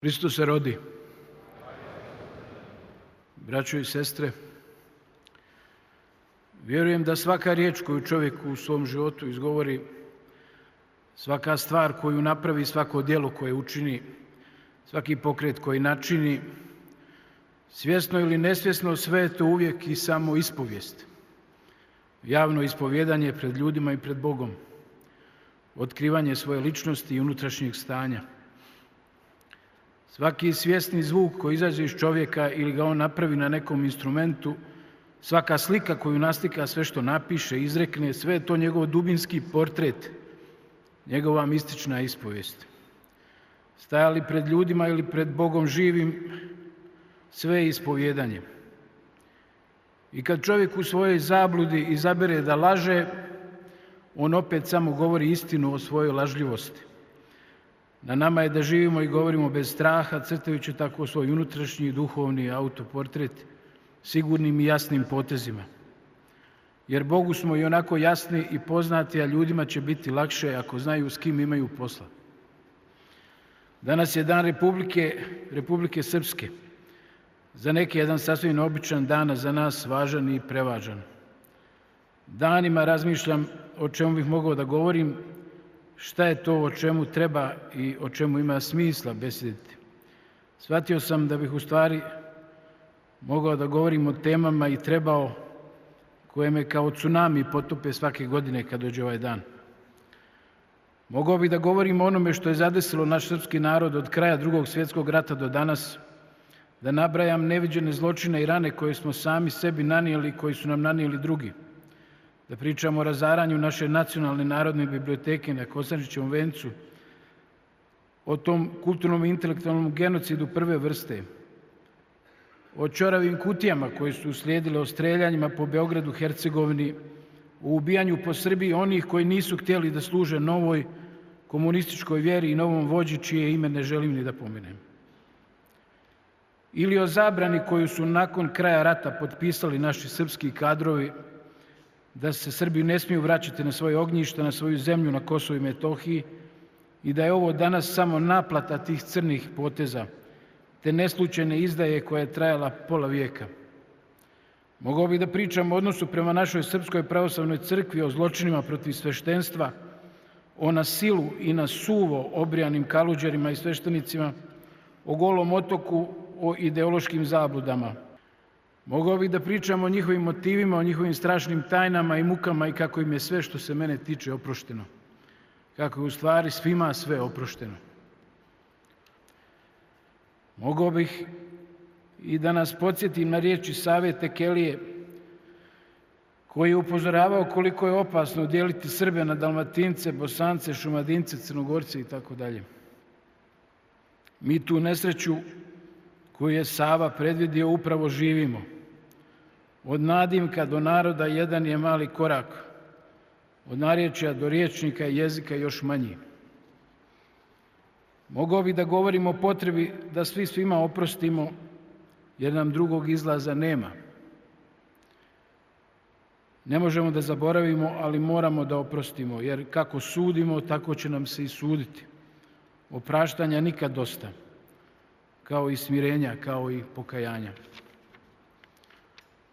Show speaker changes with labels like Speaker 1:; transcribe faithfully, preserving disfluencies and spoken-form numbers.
Speaker 1: Hristos se rodi. Braćo i sestre, vjerujem da svaka riječ koju čovjek u svom životu izgovori, svaka stvar koju napravi, svako djelo koje učini, svaki pokret koji načini, svjesno ili nesvjesno, sve je to uvijek i samo ispovijest. Javno ispovjedanje pred ljudima i pred Bogom. Otkrivanje svoje ličnosti i unutrašnjeg stanja. Svaki svjesni zvuk koji izađe iz čovjeka ili ga on napravi na nekom instrumentu, svaka slika koju naslika, sve što napiše, izrekne, sve je to njegov dubinski portret, njegova mistična ispovijest. Stajali pred ljudima ili pred Bogom živim, sve je ispovjedanje. I kad čovjek u svojoj zabludi izabere da laže, on opet samo govori istinu o svojoj lažljivosti. Na nama je da živimo i govorimo bez straha, crtajući tako svoj unutrašnji duhovni autoportret sigurnim i jasnim potezima. Jer Bogu smo i onako jasni i poznati, a ljudima će biti lakše ako znaju s kim imaju posla. Danas je dan Republike, Republike Srpske. Za neke jedan sasvim običan dan, a za nas važan i prevažan. Danima razmišljam o čemu bih mogao da govorim, šta je to o čemu treba i o čemu ima smisla besediti. Shvatio sam da bih u stvari mogao da govorim o temama i trebao koje me kao tsunami potope svake godine kad dođe ovaj dan. Mogao bih da govorim o onome što je zadesilo naš srpski narod od kraja Drugog svjetskog rata do danas, da nabrajam neviđene zločine i rane koje smo sami sebi nanijeli i koji su nam nanijeli drugi. Da pričamo o razaranju naše nacionalne narodne biblioteke na Kosančićevom vencu, o tom kulturnom i intelektualnom genocidu prve vrste, o ćoravim kutijama koje su uslijedile, o streljanjima po Beogradu, Hercegovini, o ubijanju po Srbiji onih koji nisu htjeli da služe novoj komunističkoj vjeri i novom vođi čije ime ne želim ni da pomenem. Ili o zabrani koju su nakon kraja rata potpisali naši srpski kadrovi da se Srbi ne smiju vraćati na svoje ognjišta, na svoju zemlju na Kosovu i Metohiji i da je ovo danas samo naplata tih crnih poteza, te neslučajne izdaje koja je trajala pola vijeka. Mogao bih da pričam o odnosu prema našoj Srpskoj pravoslavnoj crkvi, o zločinima protiv sveštenstva, o na silu i na suvo obrijanim kaluđerima i sveštenicima, o Golom otoku, o ideološkim zabludama. Mogao bih da pričam o njihovim motivima, o njihovim strašnim tajnama i mukama i kako im je sve što se mene tiče oprošteno. Kako je u stvari svima sve oprošteno. Mogao bih i da nas podsjetim na riječi Save Tekelije, koji je upozoravao koliko je opasno dijeliti Srbe na Dalmatince, Bosance, Šumadince, Crnogorce i tako dalje. Mi tu nesreću koju je Sava predvidio upravo živimo. Od nadimka do naroda jedan je mali korak, od narječja do riječnika i jezika još manji. Mogao bih da govorim o potrebi da svi svima oprostimo, jer nam drugog izlaza nema. Ne možemo da zaboravimo, ali moramo da oprostimo, jer kako sudimo, tako će nam se i suditi. Opraštanja nikad dosta, kao i smirenja, kao i pokajanja.